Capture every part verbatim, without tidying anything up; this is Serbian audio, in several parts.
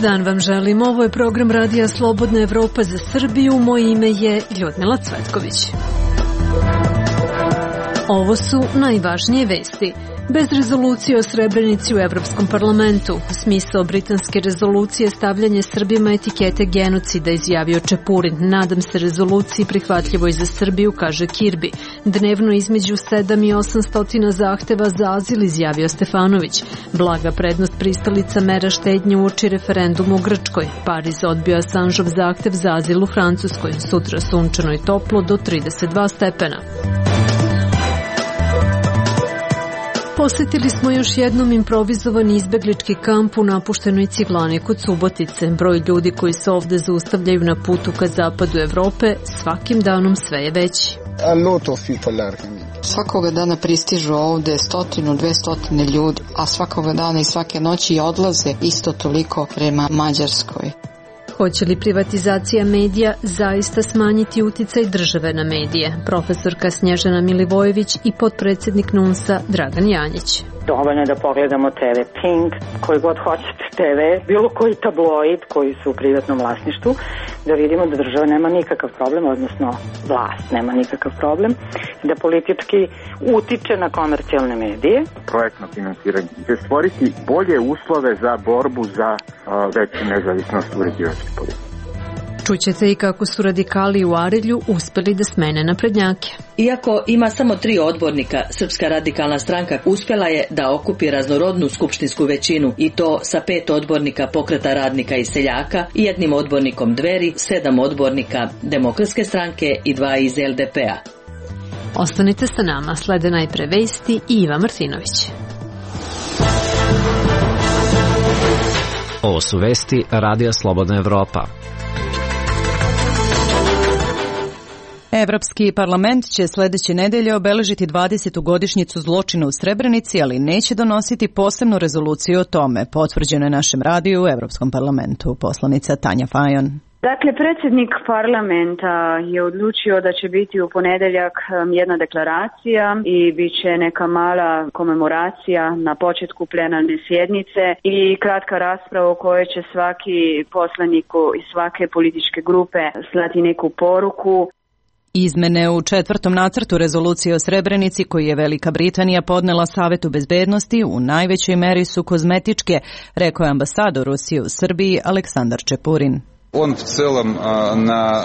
dan vam želim. Ovo je program Radija Slobodna Evropa za Srbiju. Moje ime je Ljudmila Cvetković. Ovo su najvažnije vesti. Bez rezolucije o Srebrenici u Evropskom parlamentu. Smisao britanske rezolucije stavljanje Srbima etikete genocida, izjavio Čepurin. Nadam se rezoluciji prihvatljivoj za Srbiju, kaže Kirbi. Dnevno između sedam i osamsto zahteva za azil, izjavio Stefanović. Blaga prednost pristalica mera štednje uoči referendumu u Grčkoj. Pariz odbio Assangeov zahtev za azil u Francuskoj. Sutra sunčano i toplo do trideset dva stepena. Posjetili smo još jednom improvizovani izbeglički kamp u napuštenoj Ciglani kod Subotice. Broj ljudi koji se ovde zaustavljaju na putu ka zapadu Evrope svakim danom sve je veći. Svakoga dana pristižu ovde stotinu, dve stotine ljudi, a svakoga dana i svake noći odlaze isto toliko prema Mađarskoj. Hoće li privatizacija medija zaista smanjiti uticaj države na medije? Profesorka Snježana Milivojević i potpredsjednik N U N S-a Dragan Janjić. Dovoljno je da pogledamo te ve Pink, koji god hoćete te ve, bilo koji tabloid koji su u privatnom vlasništvu, da vidimo da država nema nikakav problem, odnosno vlast nema nikakav problem, da politički utiče na komercijalne medije. Projektno finansiranje će stvoriti bolje uslove za borbu za uh, veću nezavisnost uređivačke politike. Čućete i kako su radikali u Arilju uspeli da smene naprednjake. Iako ima samo tri odbornika, Srpska radikalna stranka uspjela je da okupi raznorodnu skupštinsku većinu i to sa pet odbornika Pokreta radnika i seljaka i jednim odbornikom Dveri, sedam odbornika Demokratske stranke i dva iz el de pe a. Ostanite sa nama, slede najpre vesti i Iva Martinović. Ovo su vesti Radija Slobodna Evropa. Evropski parlament će sljedeće nedelje obeležiti dvadesetu godišnjicu zločina u Srebrenici, ali neće donositi posebnu rezoluciju o tome, potvrđeno je našem radiju u Evropskom parlamentu. Poslanica Tanja Fajon. Dakle, predsjednik parlamenta je odlučio da će biti u ponedeljak jedna deklaracija i bit će neka mala komemoracija na početku plenarne sjednice i kratka rasprava u kojoj će svaki poslanik iz svake političke grupe slati neku poruku. Izmene u četvrtom nacrtu rezolucije o Srebrenici koji je Velika Britanija podnela Savetu bezbednosti u najvećoj meri su kozmetičke, rekao je ambasador Rusije u Srbiji Aleksandar Čepurin.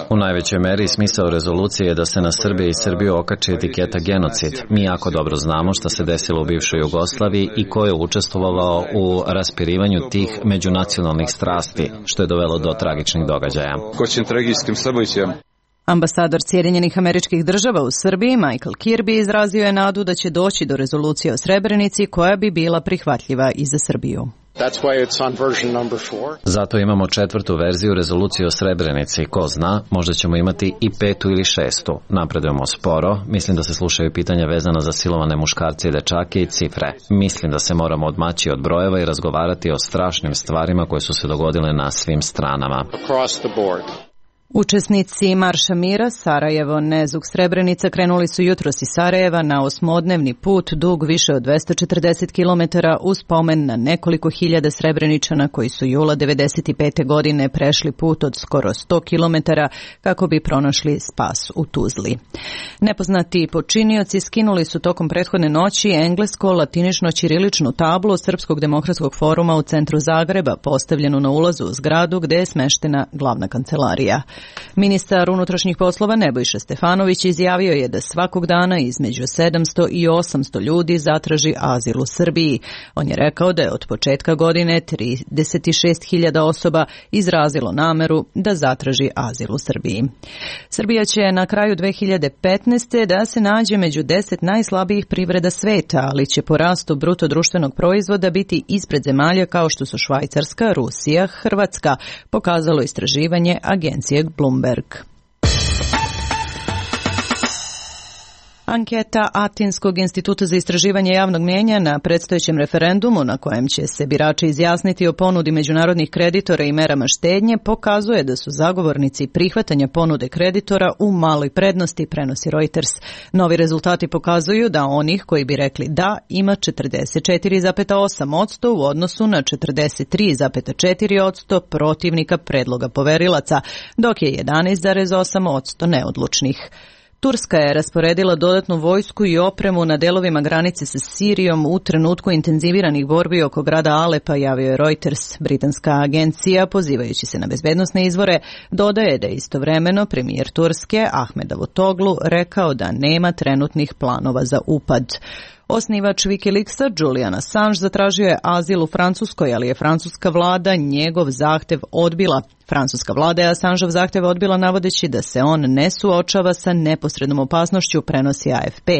U najvećoj meri smisao rezolucije je da se na Srbije i Srbiju okači etiketa genocid. Mi jako dobro znamo šta se desilo u bivšoj Jugoslaviji i ko je učestvovao u raspirivanju tih međunacionalnih strasti, što je dovelo do tragičnih događaja. Ambasador Sjedinjenih Američkih Država u Srbiji, Michael Kirby, izrazio je nadu da će doći do rezolucije o Srebrenici koja bi bila prihvatljiva i za Srbiju. Zato imamo četvrtu verziju rezolucije o Srebrenici. Ko zna, možda ćemo imati i petu ili šestu. Napredujemo sporo. Mislim da se slušaju pitanja vezana za silovane muškarce i dečake i cifre. Mislim da se moramo odmaći od brojeva i razgovarati o strašnim stvarima koje su se dogodile na svim stranama. Učesnici Marša mira Sarajevo, Nezug, Srebrenica krenuli su jutros iz Sarajeva na osmodnevni put dug više od dvesta četrdeset kilometara uz spomen na nekoliko hiljada Srebreničana koji su jula devedeset pete godine prešli put od skoro sto kilometara kako bi pronašli spas u Tuzli. Nepoznati počinioci skinuli su tokom prethodne noći englesko-latinično-ćiriličnu tablu Srpskog demokratskog foruma u centru Zagreba, postavljenu na ulazu u zgradu gde je smeštena glavna kancelarija. Ministar unutrašnjih poslova Nebojša Stefanović izjavio je da svakog dana između sedamsto i osamsto ljudi zatraži azil u Srbiji. On je rekao da je od početka godine trideset šest hiljada osoba izrazilo nameru da zatraži azil u Srbiji. Srbija će na kraju dve hiljade petnaeste. da se nađe među deset najslabijih privreda sveta, ali će po rastu bruto društvenog proizvoda biti ispred zemalja kao što su Švajcarska, Rusija, Hrvatska, pokazalo istraživanje agencije Bloomberg. Anketa Atinskog instituta za istraživanje javnog mnijenja na predstojećem referendumu na kojem će se birači izjasniti o ponudi međunarodnih kreditora i merama štednje pokazuje da su zagovornici prihvatanja ponude kreditora u maloj prednosti, prenosi Reuters. Novi rezultati pokazuju da onih koji bi rekli da ima četrdeset četiri zarez osam posto u odnosu na četrdeset tri zarez četiri posto protivnika predloga poverilaca, dok je jedanaest zarez osam posto neodlučnih. Turska je rasporedila dodatnu vojsku i opremu na delovima granice sa Sirijom u trenutku intenziviranih borbi oko grada Alepa, javio je Reuters. Britanska agencija, pozivajući se na bezbednosne izvore, dodaje da je istovremeno premijer Turske Ahmed Davutoglu rekao da nema trenutnih planova za upad. Osnivač Wikileaksa Julian Assange zatražio je azil u Francuskoj, ali je francuska vlada njegov zahtev odbila. Francuska vlada je Assangeov zahtev odbila navodeći da se on ne suočava sa neposrednom opasnošću, prenosi A F P.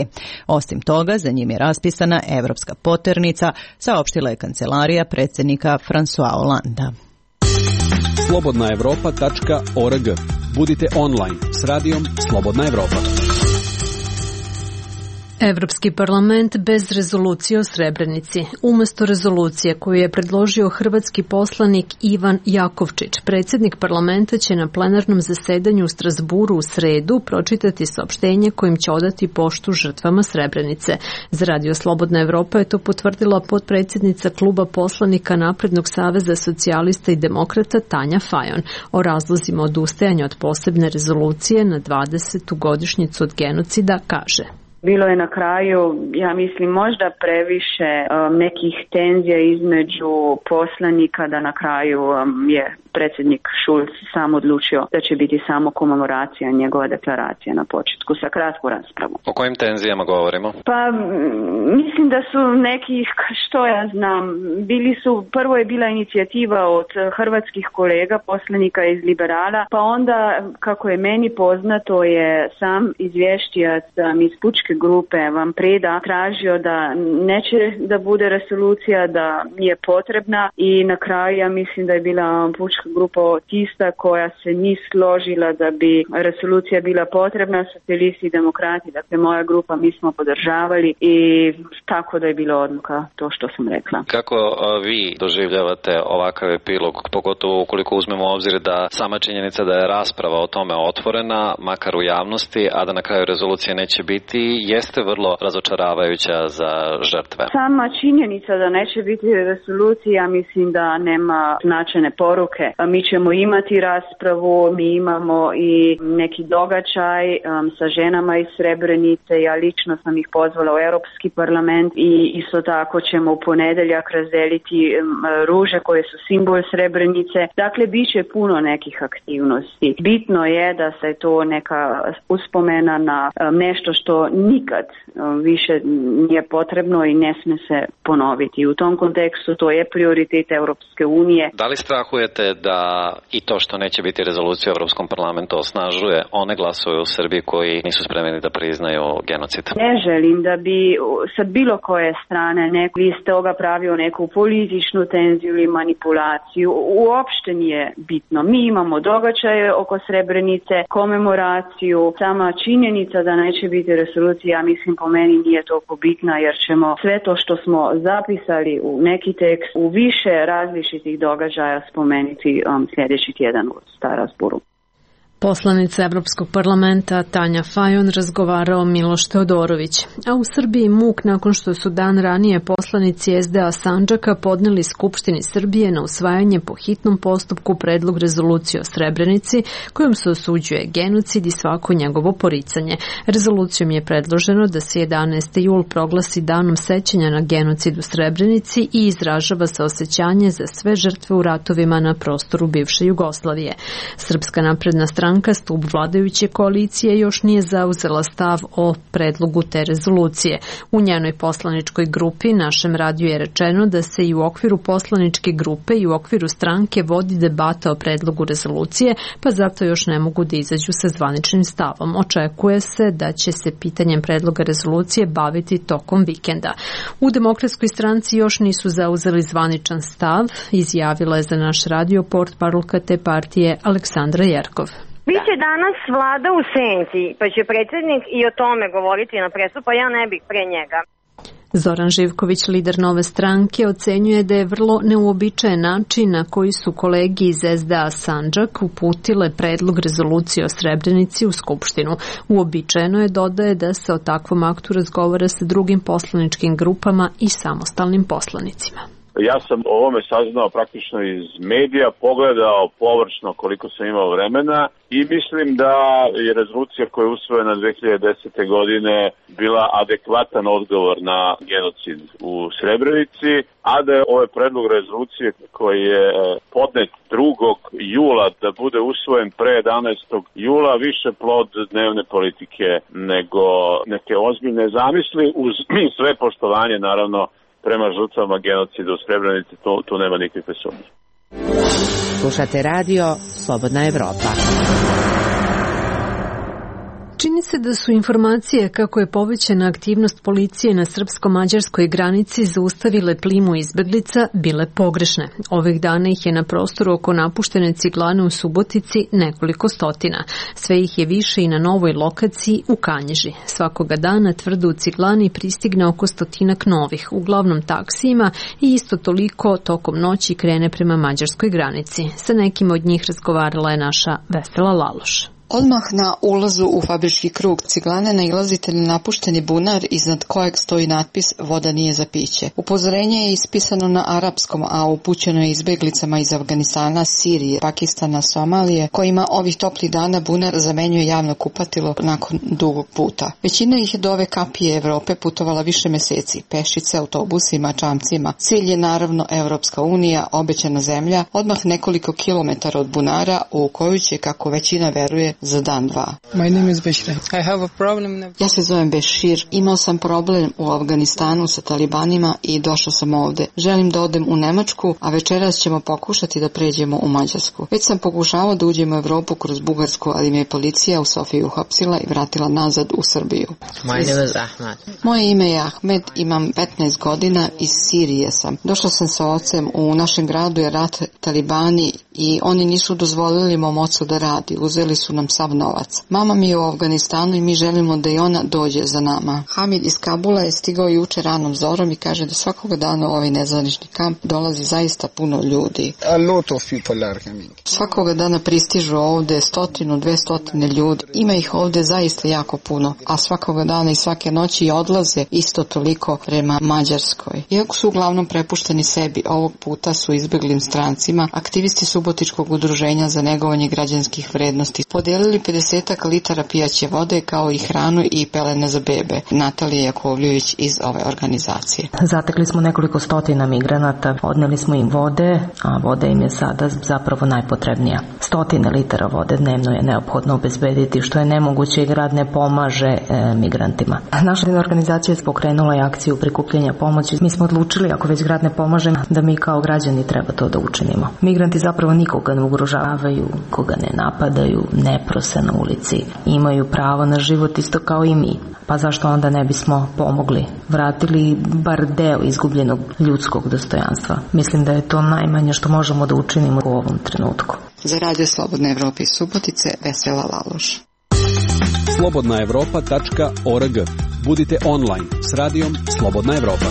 Osim toga, za njim je raspisana evropska poternica, saopštila je kancelarija predsjednika François Hollanda. slobodna evropa tačka org. Budite online s radijom Slobodna Evropa. Evropski parlament bez rezolucije o Srebrenici. Umesto rezolucije koju je predložio hrvatski poslanik Ivan Jakovčić, predsjednik parlamenta će na plenarnom zasedanju u Strasburu u sredu pročitati saopštenje kojim će odati poštu žrtvama Srebrenice. Za Radio Slobodna Evropa je to potvrdila potpredsjednica kluba poslanika Naprednog saveza socijalista i demokrata Tanja Fajon. O razlozima odustajanja od posebne rezolucije na dvadesetu godišnjicu od genocida kaže: Bilo je na kraju, ja mislim, možda previše um, nekih tenzija između poslanika da na kraju um, je predsjednik Schulz sam odlučio da će biti samo komemoracija, njegova deklaracija na početku sa kratku raspravu. O kojim tenzijama govorimo? Pa mislim da su neki, što ja znam, bili su, prvo je bila inicijativa od hrvatskih kolega, poslanika iz Liberala, pa onda, kako je meni poznato, je sam izvješćijac iz pučke grupe Van Preda tražio da neće da bude resolucija, da nije potrebna, i na kraju ja mislim da je bila pučka grupa tista koja se nije složila da bi resolucija bila potrebna, socijalisti i demokrati, dakle moja grupa, mi smo podržavali i tako da je bila odluka to što sam rekla. Kako vi doživljavate ovakav epilog, pogotovo ukoliko uzmemo u obzir da sama činjenica da je rasprava o tome otvorena, makar u javnosti, a da na kraju rezolucije neće biti, jeste vrlo razočaravajuća za žrtve? Sama činjenica da neće biti resolucija, mislim da nema značajne poruke. Mi ćemo imati raspravu, mi imamo i neki događaj um, sa ženama iz Srebrenice, ja lično sam ih pozvala u Europski parlament i isto tako ćemo u ponedeljak razdeliti um, ruže koje su simbol Srebrenice. Dakle, bit će puno nekih aktivnosti. Bitno je da se to neka uspomena na um, nešto što nikad um, više nije potrebno i ne smije se ponoviti. U tom kontekstu to je prioritet Europske unije. Da li strahujete da i to što neće biti rezolucija u Europskom parlamentu osnažuje one glasove u Srbiji koji nisu spremni da priznaju genocid? Ne želim da bi sa bilo koje strane neko iz toga pravio neku političnu tenziju ili manipulaciju. Uopšte nije bitno. Mi imamo događaje oko Srebrenice, komemoraciju, sama činjenica da neće biti rezolucija, mislim, po meni nije toliko bitna, jer ćemo sve to što smo zapisali u neki tekst u više različitih događaja spomenuti um, sljedeći tjedan u Strasburu. Poslanica Evropskog parlamenta Tanja Fajon razgovarao Miloš Teodorović. A u Srbiji muk nakon što su dan ranije poslanici S D A Sandžaka podneli Skupštini Srbije na usvajanje po hitnom postupku predlog rezolucije o Srebrenici kojom se osuđuje genocid i svako njegovo poricanje. Rezolucijom je predloženo da se jedanaesti jul proglasi danom sećanja na genocid u Srebrenici i izražava se osjećanje za sve žrtve u ratovima na prostoru bivše Jugoslavije. Srpska napredna stranka stub vladajuće koalicije još nije zauzela stav o predlogu te rezolucije. U njenoj poslaničkoj grupi našem radiju je rečeno da se i u okviru poslaničke grupe i u okviru stranke vodi debata o predlogu rezolucije, pa zato još ne mogu da izađu sa zvaničnim stavom. Očekuje se da će se pitanjem predloga rezolucije baviti tokom vikenda. U Demokratskoj stranci još nisu zauzeli zvaničan stav, izjavila je za naš radio portparolka te partije Aleksandra Jerkov. Biće danas vlada u senci, pa će predsjednik i o tome govoriti na presu, pa ja ne bih pre njega. Zoran Živković, lider Nove stranke, ocenjuje da je vrlo neuobičajen način na koji su kolegi iz es de a Sandžak uputile predlog rezolucije o Srebrenici u Skupštinu. Uobičajeno je, dodaje, da se o takvom aktu razgovara sa drugim poslaničkim grupama i samostalnim poslanicima. Ja sam o ovome saznao praktično iz medija, pogledao površno koliko sam imao vremena i mislim da je rezolucija koja je usvojena dve hiljade desete. godine bila adekvatan odgovor na genocid u Srebrenici, a da je ovaj predlog rezolucije koji je podnet drugog jula da bude usvojen pre jedanaestog jula više plod dnevne politike nego neke ozbiljne zamisli, uz sve poštovanje naravno prema žrtvama genocida u Srebrenici, tu, tu nema nikakve sumnje. Slušate radio Slobodna Evropa. Čini se da su informacije kako je povećana aktivnost policije na srpsko-mađarskoj granici zaustavile plimu izbeglica bile pogrešne. Ovih dana ih je na prostoru oko napuštene ciglane u Subotici nekoliko stotina. Sve ih je više i na novoj lokaciji u Kanjiži. Svakoga dana tvrdo u ciglani pristigne oko stotinak novih, uglavnom taksijima, i isto toliko tokom noći krene prema mađarskoj granici. Sa nekim od njih razgovarala je naša Vesela Laloš. Odmah na ulazu u fabrički krug ciglane nailazite na napušteni bunar iznad kojeg stoji natpis "Voda nije za piće". Upozorenje je ispisano na arapskom, a upućeno je izbeglicama iz Afganistana, Sirije, Pakistana, Somalije, kojima ovih toplih dana bunar zamenjuje javno kupatilo nakon dugog puta. Većina ih je do ove kapije Evrope putovala više meseci, pešice, autobusima, čamcima. Cilj je naravno Evropska unija, obećana zemlja, odmah nekoliko kilometara od bunara u koju će, kako većina veruje, za dan dva. My name is Bashir. I have a problem. Ja se zovem Bešir. Imao sam problem u Afganistanu sa talibanima i došao sam ovde. Želim da odem u Nemačku, a večeras ćemo pokušati da pređemo u Mađarsku. Već sam pokušavao da uđem u Evropu kroz Bugarsku, ali me je policija u Sofiji uhapsila i vratila nazad u Srbiju. My name is Ahmed. Moje ime je Ahmed, imam petnaest godina, iz Sirije sam. Došao sam sa ocem, u našem gradu je rat, talibani, i oni nisu dozvolili mom ocu da radi. Uzeli su nam sav novac. Mama mi je u Afganistanu i mi želimo da i ona dođe za nama. Hamid iz Kabula je stigao juče ranom zorom i kaže da svakoga dana u ovaj nezvanični kamp dolazi zaista puno ljudi. A lot of people are coming. Svakoga dana pristižu ovde stotinu, dve stotine ljudi. Ima ih ovde zaista jako puno, a svakoga dana i svake noći odlaze isto toliko prema Mađarskoj. Iako su uglavnom prepušteni sebi, ovog puta su izbeglim strancima, aktivisti Subotičkog udruženja za negovanje građanskih vrednosti podijelili pedeset litara pijaće vode kao i hranu i pelene za bebe. Natalija Jakovljević iz ove organizacije. Zatekli smo nekoliko stotina migranata, odneli smo im vode, a voda im je sada zapravo najpotrebnija. Stotine litara vode dnevno je neophodno obezbediti, što je nemoguće i grad ne pomaže e, migrantima. Naša organizacija je pokrenula i akciju prikupljanja pomoći. Mi smo odlučili, ako već grad ne pomaže, da mi kao građani treba to da učinimo. Migranti zapravo nikoga ne ugrožavaju, koga ne napadaju, ne prose na ulici. Imaju pravo na život isto kao i mi. Pa zašto onda ne bismo pomogli? Vratili bar deo izgubljenog ljudskog dostojanstva. Mislim da je to najmanje što možemo da učinimo u ovom trenutku. Za Radio Slobodne Evrope iz Subotice, Vesela Laloš. slobodna evropa tačka org. Budite online s radijom Slobodna Evropa.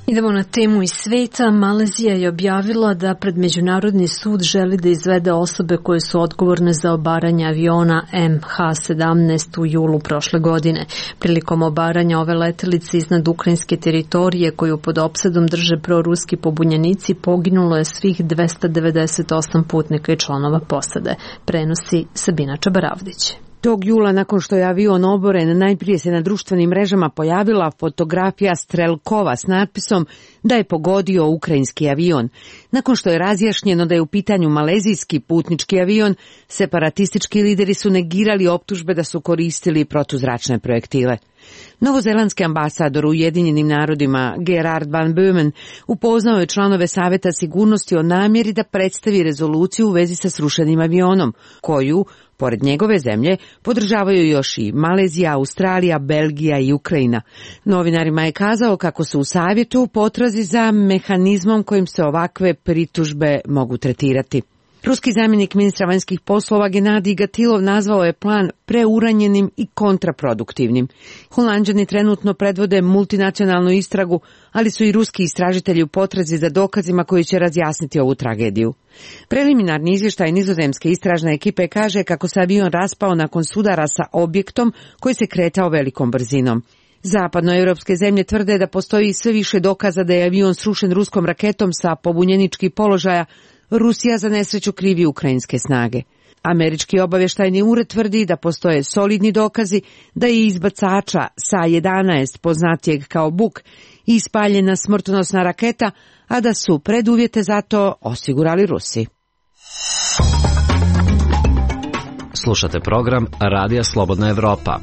Idemo na temu iz sveta. Malezija je objavila da pred Međunarodni sud želi da izvede osobe koje su odgovorne za obaranje aviona em ha sedamnaest u julu prošle godine. Prilikom obaranja ove letelice iznad ukrajinske teritorije koju pod opsadom drže proruski pobunjenici poginulo je svih dvesta devedeset osam putnika i članova posade. Prenosi Sabina Čabaravdić. Tog jula, nakon što je avion oboren, najprije se na društvenim mrežama pojavila fotografija Strelkova s natpisom da je pogodio ukrajinski avion. Nakon što je razjašnjeno da je u pitanju malezijski putnički avion, separatistički lideri su negirali optužbe da su koristili protuzračne projektile. Novozelandski ambasador u Ujedinjenim narodima Gerard van Böhmen upoznao je članove Saveta sigurnosti o namjeri da predstavi rezoluciju u vezi sa srušenim avionom, koju, pored njegove zemlje, podržavaju još i Malezija, Australija, Belgija i Ukrajina. Novinarima je kazao kako su u savjetu u potrazi za mehanizmom kojim se ovakve pritužbe mogu tretirati. Ruski zamjenik ministra vanjskih poslova Genadij Gatilov nazvao je plan preuranjenim i kontraproduktivnim. Holanđani trenutno predvode multinacionalnu istragu, ali su i ruski istražitelji u potrazi za dokazima koji će razjasniti ovu tragediju. Preliminarni izvještaj nizozemske istražne ekipe kaže kako se avion raspao nakon sudara sa objektom koji se kretao velikom brzinom. Zapadnoevropske zemlje tvrde da postoji sve više dokaza da je avion srušen ruskom raketom sa pobunjeničkih položaja. Rusija za nesreću krivi ukrajinske snage. Američki obavještajni ured tvrdi da postoje solidni dokazi da je iz bacača S A jedanaest, poznatijeg kao Buk, ispaljena smrtonosna raketa, a da su preduvjete za to osigurali Rusi. Slušate program Radija Slobodna Evropa.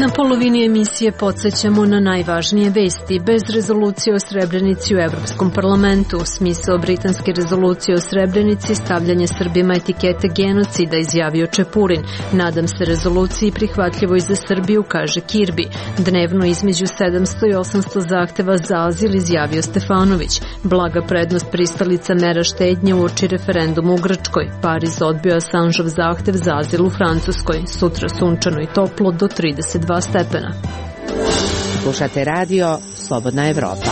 Na polovini emisije podsjećamo na najvažnije vesti. Bez rezolucije o Srebrenici u Evropskom parlamentu. Smisao britanske rezolucije o Srebrenici stavljanje Srbima etikete genocida, izjavio Čepurin. Nadam se rezoluciji prihvatljivoj za Srbiju, kaže Kirbi. Dnevno između sedamsto i osamsto zahteva za azil, izjavio Stefanović. Blaga prednost pristalica mera štednje uoči referendumu u Grčkoj. Pariz odbio Assangeov zahtev za azil u Francuskoj. Sutra sunčano i toplo do trideset dva stepena. Slušate radio Slobodna Evropa.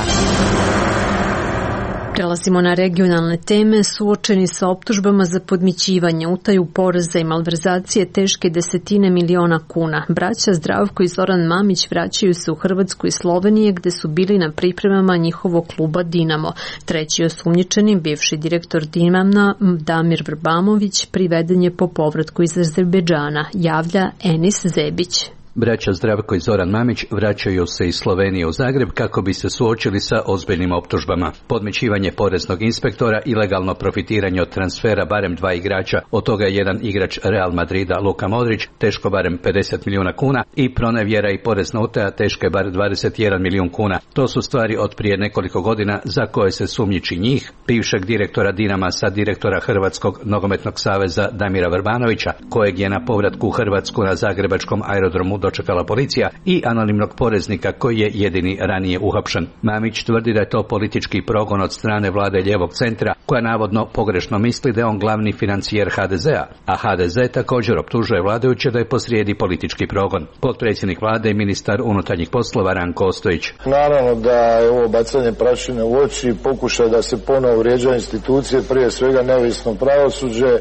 Prelazimo na regionalne teme. Suočeni sa optužbama za podmićivanje, utaju poreza i malverzacije teške desetine miliona kuna. Braća Zdravko i Zoran Mamić vraćaju se u Hrvatsku i Slovenije, gde su bili na pripremama njihovog kluba Dinamo. Treći osumnjičeni, bivši direktor Dinama Damir Vrbamović, priveden je po povratku iz Azerbejdžana, javlja Enis Zebić. Braća Zdravko i Zoran Mamić vraćaju se iz Slovenije u Zagreb kako bi se suočili sa ozbiljnim optužbama. Podmićivanje poreznog inspektora, ilegalno profitiranje od transfera barem dva igrača, od toga je jedan igrač Real Madrida Luka Modrić, teško barem pedeset milijuna kuna, i pronevjera i porezna utaja teške bar dvadeset jedan milijun kuna. To su stvari od prije nekoliko godina za koje se sumnjiči njih, bivšeg direktora Dinama, sad direktora Hrvatskog nogometnog saveza Damira Vrbanovića, kojeg je na povratku u Hrvatsku na zagrebačkom aerodromu dočekala policija, i anonimnog poreznika koji je jedini ranije uhapšen. Mamić tvrdi da je to politički progon od strane vlade lijevog centra, koja navodno pogrešno misli da je on glavni financijer ha de zea, a ha de ze također optužuje vladajuće da je posrijedi politički progon. Potpredsjednik vlade i ministar unutarnjih poslova Ranko Ostojić. Naravno da je ovo bacanje prašine u oči, pokušaj da se ponovo vrijeđa institucije, prije svega neovisno pravosuđe,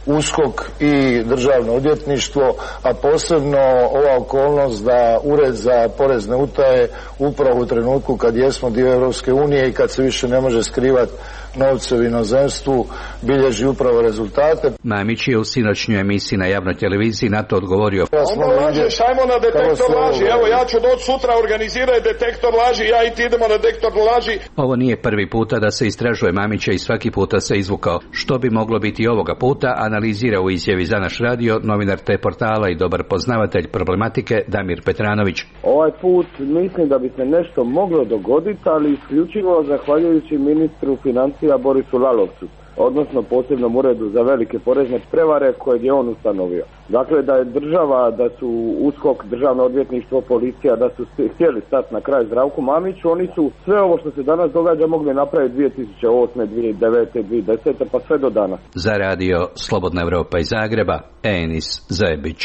USKOK i državno odvjetništvo, a posebno ova okolnost da Ured za porezne utaje upravo u trenutku kad jesmo dio Europske unije i kad se više ne može skrivati novce u inozemstvu, bilježi upravo rezultate. Mamić je u sinoćnjoj emisiji na javnoj televiziji na to odgovorio. Onda lažeš, ajmo na detektor laži, evo ja ću doći sutra, organiziraj detektor laži, ja i ti idemo na detektor laži. Ovo nije prvi puta da se istražuje Mamića i svaki puta se izvukao. Što bi moglo biti ovoga puta, analizira u izjavi za naš radio novinar te portala i dobar poznavatelj problematike Damir Petranović. Ovaj put mislim da bi se nešto moglo dogoditi, ali isključivo zahvaljujući ministru financija Borisu Lalovcu, odnosno posebnom uredu za velike porezne prevare koje je on ustanovio. Dakle, da je država, da su USKOK, državno odvjetništvo, policija, da su htjeli stati na kraj Zdravku Mamiću, oni su sve ovo što se danas događa mogli napraviti dvije tisuće osme, dvije tisuće devete, dvije tisuće desete pa sve do danas. Za radio Slobodna Evropa iz Zagreba, Enis Zebić.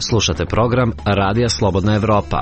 Slušate program Radija Slobodna Evropa.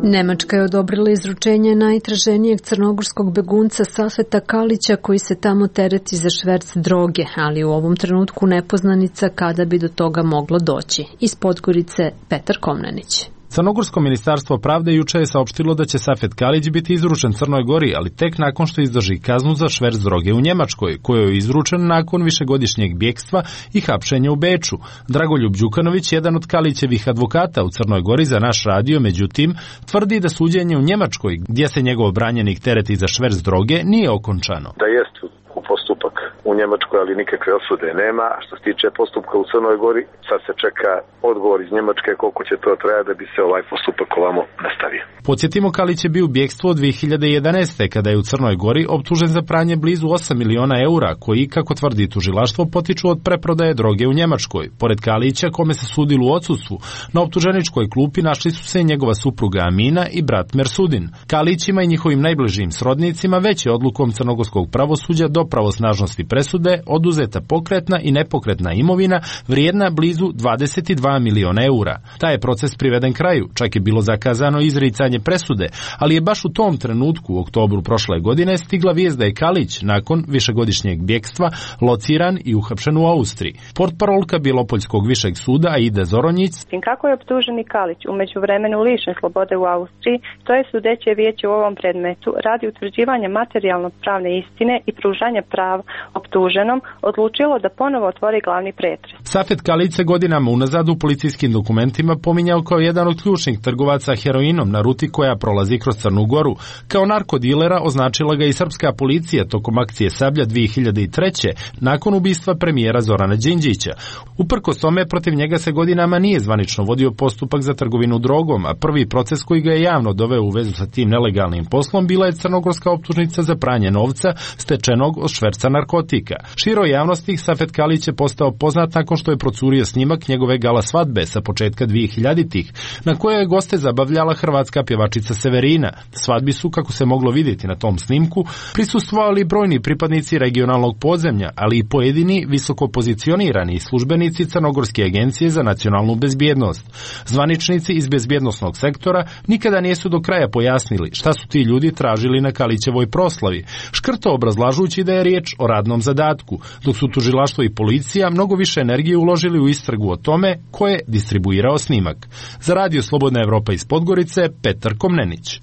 Nemačka je odobrila izručenje najtraženijeg crnogorskog begunca Safeta Kalića, koji se tamo tereti za šverc droge, ali u ovom trenutku nepoznanica kada bi do toga moglo doći. Iz Podgorice Petar Komnenić. Crnogorsko ministarstvo pravde juče je saopštilo da će Safet Kalić biti izručen Crnoj Gori, ali tek nakon što izdrži kaznu za šverc droge u Njemačkoj, kojoj je izručen nakon višegodišnjeg bjekstva i hapšenja u Beču. Dragoljub Đukanović, jedan od Kalićevih advokata u Crnoj Gori za naš radio, međutim, tvrdi da suđenje u Njemačkoj, gdje se njegov branjenik tereti za šverc droge, nije okončano. Da jest u postupak u Njemačkoj, ali nikakve osude nema. A što se tiče postupka u Crnoj Gori, sad se čeka odgovor iz Njemačke koliko će to trajati da bi se ovaj postupak ovamo nastavio. Podsjetimo, Kalić je bio u bjekstvu od dve hiljade jedanaeste. kada je u Crnoj Gori optužen za pranje blizu osam miliona eura, koji, kako tvrdi tužilaštvo, potiču od preprodaje droge u Njemačkoj. Pored Kalića, kome se sudilo u odsustvu, na optuženičkoj klupi našli su se i njegova supruga Amina i brat Mersudin. Kalićima i njihovim najbližim srodnicima već je odlukom crnogorskog pravosuđa do pravosnažnosti presude oduzeta pokretna i nepokretna imovina vrijedna blizu dvadeset dva miliona eura. Taj je proces priveden kraju, čak je bilo zakazano izricanje presude, ali je baš u tom trenutku, u oktobru prošle godine, stigla vijest da je Kalić, nakon višegodišnjeg bjekstva, lociran i uhapšen u Austriji. Portparolka Bjelopoljskog višeg suda Aida Zoronjić: kako je optuženi Kalić u međuvremenu lišen slobode u Austriji, to je sudeće vijeće u ovom predmetu radi utvrđivanja materijalno-pravne istine i pružanja prava optuženom odlučilo da ponovo otvori glavni pretres. Safet Kalić se godinama unazad u policijskim dokumentima pominjao kao jedan od ključnih trgovaca heroinom na ruti koja prolazi kroz Crnu Goru. Kao narkodilera označila ga i srpska policija tokom akcije Sablja dve hiljade treće. nakon ubistva premijera Zorana Đinđića. Uprkos tome, protiv njega se godinama nije zvanično vodio postupak za trgovinu drogom, a prvi proces koji ga je javno doveo u vezu sa tim nelegalnim poslom bila je crnogorska optužnica za pranje novca stečenog od šverca narkotika. Široj javnosti Safet Kalić je postao poznat nakon što je procurio snimak njegove gala svadbe sa početka dve hiljaditih, na kojoj je goste zabavljala hrvatska pjevačica Severina. Svadbi su, kako se moglo vidjeti na tom snimku, prisustvovali brojni pripadnici regionalnog podzemlja, ali i pojedini visoko pozicionirani službenici Crnogorske agencije za nacionalnu bezbjednost. Zvaničnici iz bezbjednosnog sektora nikada nisu do kraja pojasnili šta su ti ljudi tražili na Kalićevoj proslavi, škrto obrazlažući da je riječ o radnom zadatku, dok su tužilaštvo i policija mnogo više energije uložili u istragu o tome ko je distribuirao snimak. Za Radio Slobodna Evropa iz Podgorice, Petar Komnenić.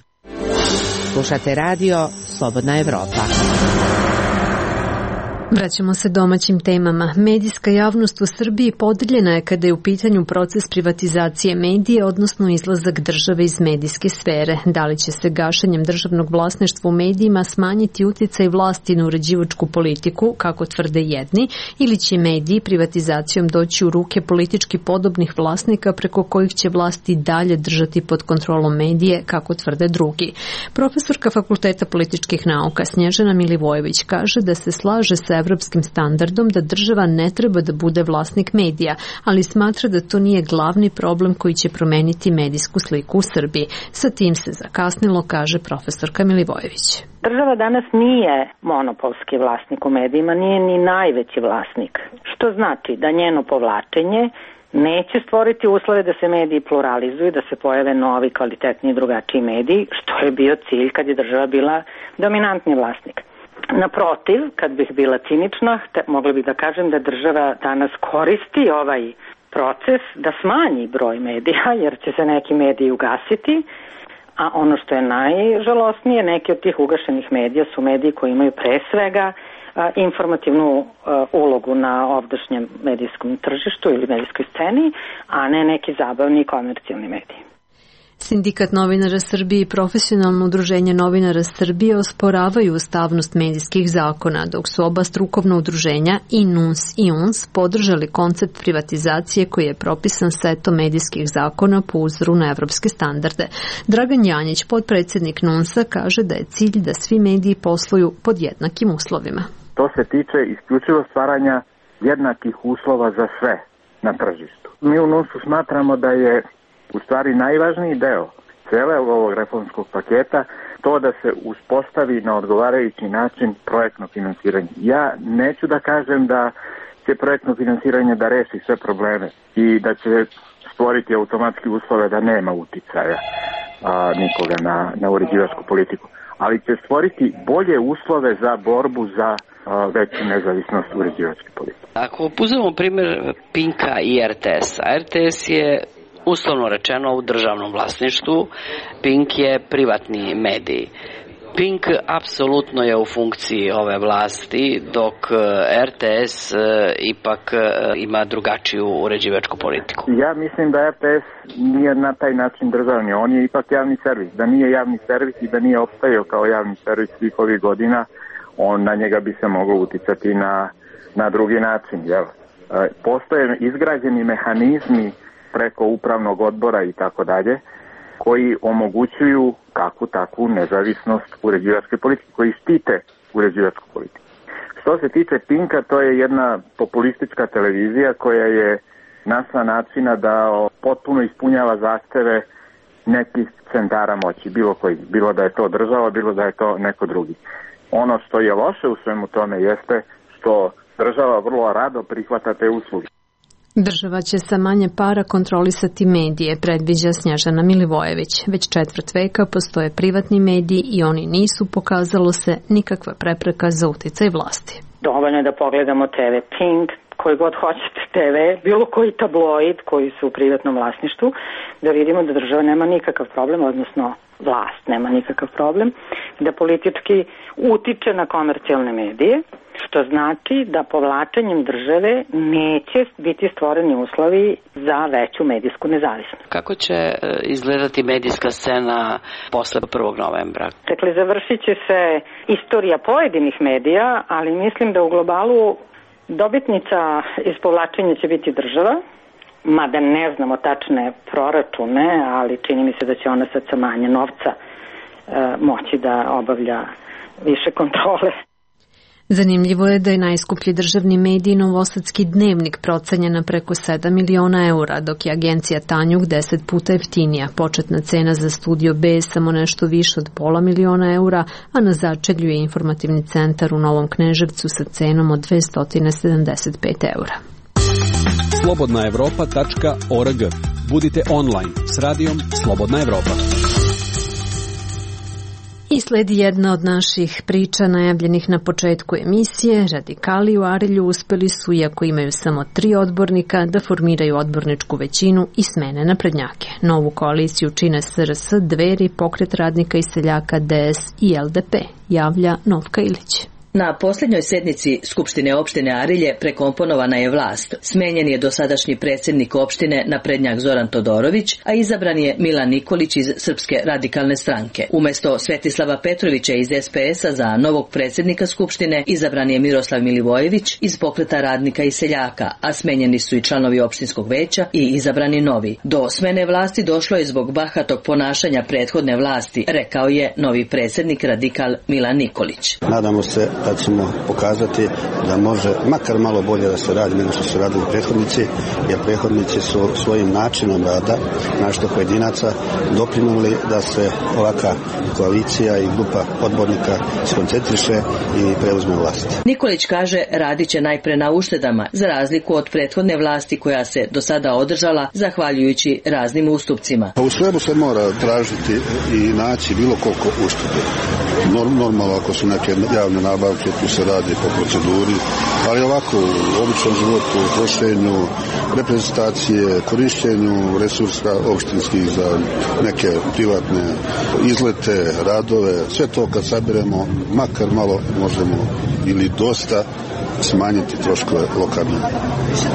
Slušate radio Slobodna Evropa. Vraćamo se domaćim temama. Medijska javnost u Srbiji podeljena je kada je u pitanju proces privatizacije medije, odnosno izlazak države iz medijske sfere. Da li će se gašenjem državnog vlasništva u medijima smanjiti uticaj vlasti na uređivačku politiku, kako tvrde jedni, ili će mediji privatizacijom doći u ruke politički podobnih vlasnika preko kojih će vlasti dalje držati pod kontrolom medije, kako tvrde drugi. Profesorka Fakulteta političkih nauka Snježana Milivojević kaže da se slaže sa evropskim standardom da država ne treba da bude vlasnik medija, ali smatra da to nije glavni problem koji će promeniti medijsku sliku u Srbiji. Sa tim se zakasnilo, kaže profesorka Milivojević. Država danas nije monopolski vlasnik u medijima, nije ni najveći vlasnik, što znači da njeno povlačenje neće stvoriti uslove da se mediji pluralizuju, da se pojave novi, kvalitetni i drugačiji mediji, što je bio cilj kad je država bila dominantni vlasnik. Naprotiv, kad bih bila cinična, mogla bih da kažem da država danas koristi ovaj proces da smanji broj medija, jer će se neki mediji ugasiti, a ono što je najžalosnije, neki od tih ugašenih medija su mediji koji imaju pre svega a, informativnu a, ulogu na ovdašnjem medijskom tržištu ili medijskoj sceni, a ne neki zabavni i komercijalni mediji. Sindikat novinara Srbije i profesionalno udruženje novinara Srbije osporavaju ustavnost medijskih zakona, dok su oba strukovna udruženja i N U N S i U N S podržali koncept privatizacije koji je propisan setom medijskih zakona po uzoru na evropske standarde. Dragan Janjić, potpredsjednik N U N S-a, kaže da je cilj da svi mediji posluju pod jednakim uslovima. To se tiče isključivo stvaranja jednakih uslova za sve na tržištu. Mi u N U N S-u smatramo da je u stvari najvažniji deo cele ovog reformskog paketa to da se uspostavi na odgovarajući način projektno finansiranje. Ja neću da kažem da će projektno finansiranje da reši sve probleme i da će stvoriti automatski uslove da nema uticaja a, nikoga na, na uređivačku politiku, ali će stvoriti bolje uslove za borbu za a, veću nezavisnost uređivačke politike. Ako uzmemo primjer Pinka i R T S-a, R T S je uslovno rečeno u državnom vlasništvu, Pink je privatni medij. Pink apsolutno je u funkciji ove vlasti, dok R T S ipak ima drugačiju uređivačku politiku. Ja mislim da R T S nije na taj način državni, on je ipak javni servis. Da nije javni servis i da nije opstajao kao javni servis svih ovih godina, on na njega bi se moglo uticati na na drugi način, jel? Postoje izgrađeni mehanizmi preko upravnog odbora i tako dalje, koji omogućuju kakvu takvu nezavisnost uređivačke politike, koji štite uređivačku politiku. Što se tiče Pinka, to je jedna populistička televizija koja je našla načina da potpuno ispunjava zahteve nekih centara moći, bilo koji, bilo da je to država, bilo da je to neko drugi. Ono što je loše u svemu tome jeste što država vrlo rado prihvata te usluge. Država će sa manje para kontrolisati medije, predviđa Snježana Milivojević. Već četvrt veka postoje privatni mediji i oni nisu, pokazalo se, nikakva prepreka za uticaj vlasti. Dovoljno je da pogledamo te ve Pink, koji god hoćete te ve, bilo koji tabloid koji su u privatnom vlasništvu, da vidimo da država nema nikakav problem, odnosno vlast nema nikakav problem, da politički utiče na komercijalne medije, što znači da povlačenjem države neće biti stvoreni uslovi za veću medijsku nezavisnost. Kako će izgledati medijska scena posle prvog novembra? Dakle, završit će se istorija pojedinih medija, ali mislim da u globalu dobitnica iz povlačenja će biti država, mada ne znamo tačne proračune, ali čini mi se da će ona sad sa manje novca e, moći da obavlja više kontrole. Zanimljivo je da je najskuplji državni medij Novosadski dnevnik procenjen na preko sedam miliona eura, dok je agencija Tanjug deset puta jeftinija. Početna cena za Studio B je samo nešto više od pola miliona eura, a na začelju je informativni centar u Novom Kneževcu sa cenom od dvesta sedamdeset pet eura. slobodna evropa tačka org. Budite online s radijom Slobodna Evropa. I sledi jedna od naših priča najavljenih na početku emisije. Radikali u Arilju uspeli su, iako imaju samo tri odbornika, da formiraju odborničku većinu i smene naprednjake. Novu koaliciju čine es er es, Dveri, Pokret radnika i seljaka, de es i el de pe, javlja Novka Ilić. Na posljednjoj sednici Skupštine opštine Arilje prekomponovana je vlast. Smenjen je dosadašnji predsjednik opštine naprednjak Zoran Todorović, a izabran je Milan Nikolić iz Srpske radikalne stranke. Umjesto Svetislava Petrovića iz es pe es a za novog predsjednika Skupštine izabran je Miroslav Milivojević iz Pokreta radnika i seljaka, a smenjeni su i članovi opštinskog veća i izabrani novi. Do smene vlasti došlo je zbog bahatog ponašanja prethodne vlasti, rekao je novi predsjednik radikal Milan Nikolić. Nadamo se da ćemo pokazati da može makar malo bolje da se radi nego što su radili prethodnici, jer prethodnici su svojim načinom rada, našto pojedinaca, doprinuli da se ovaka koalicija i grupa odbornika skoncentriše i preuzme vlast. Nikolić kaže radit će najpre na uštedama, za razliku od prethodne vlasti koja se do sada održala zahvaljujući raznim ustupcima. U svemu se mora tražiti i naći bilo koliko uštede. Normalno ako su neke javne nabavke, tu se radi po proceduri, ali ovako u običnom životu, u trošenju, reprezentacije, korištenju resursa opštinskih za neke privatne izlete, radove, sve to kad sabiremo, makar malo možemo ili dosta smanjiti troškove lokalne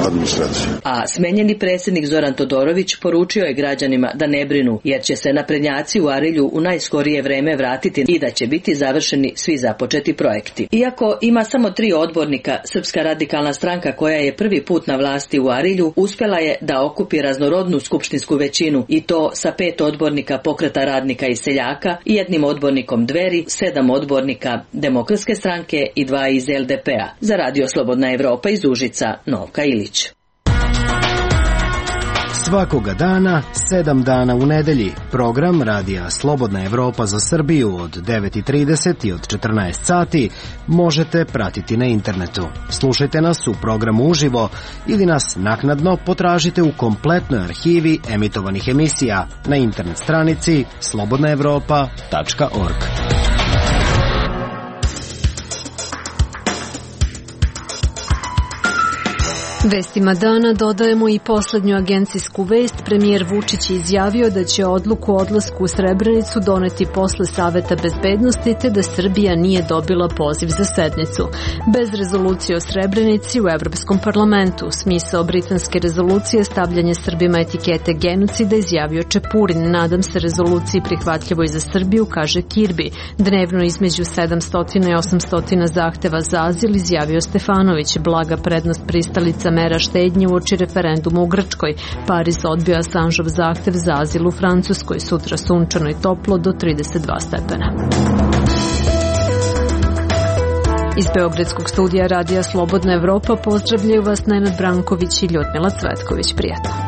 administracije. A smenjeni predsjednik Zoran Todorović poručio je građanima da ne brinu, jer će se naprednjaci u Arilju u najskorije vreme vratiti i da će biti završeni svi započeti projekti. Iako ima samo tri odbornika, Srpska radikalna stranka koja je prvi put na vlasti u Arilju uspjela je da okupi raznorodnu skupštinsku većinu i to sa pet odbornika Pokreta radnika i seljaka i jednim odbornikom Dveri, sedam odbornika Demokratske stranke i dva iz el de pe a. Za Radio Slobodna Evropa iz Užica, Novka Ilić. Svakoga dana, sedam dana u nedelji, program Radija Slobodna Evropa za Srbiju od devet i trideset i od četrnaest sati možete pratiti na internetu. Slušajte nas u programu uživo ili nas naknadno potražite u kompletnoj arhivi emitovanih emisija na internet stranici slobodna evropa tačka org. Vestima dana dodajemo i poslednju agencijsku vest. Premijer Vučić je izjavio da će odluku o odlasku u Srebrenicu doneti posle Saveta bezbednosti, te da Srbija nije dobila poziv za sednicu. Bez rezolucije o Srebrenici u Evropskom parlamentu. Smisao britanske rezolucije stavljanje Srbima etikete genocida izjavio Čepurin. Nadam se rezoluciji prihvatljivoj za Srbiju, kaže Kirbi. Dnevno između sedamsto i osamsto zahteva za azil, izjavio Stefanović. Blaga prednost pristalica mera štednje uoči referenduma u Grčkoj. Pariz odbio Assangeov zahtev za azil u Francuskoj. Sutra sunčano i toplo do trideset dva stepena. Iz Beogradskog studija Radija Slobodna Evropa pozdravljaju vas Nenad Branković i Ljudmila Cvetković. Prijatno.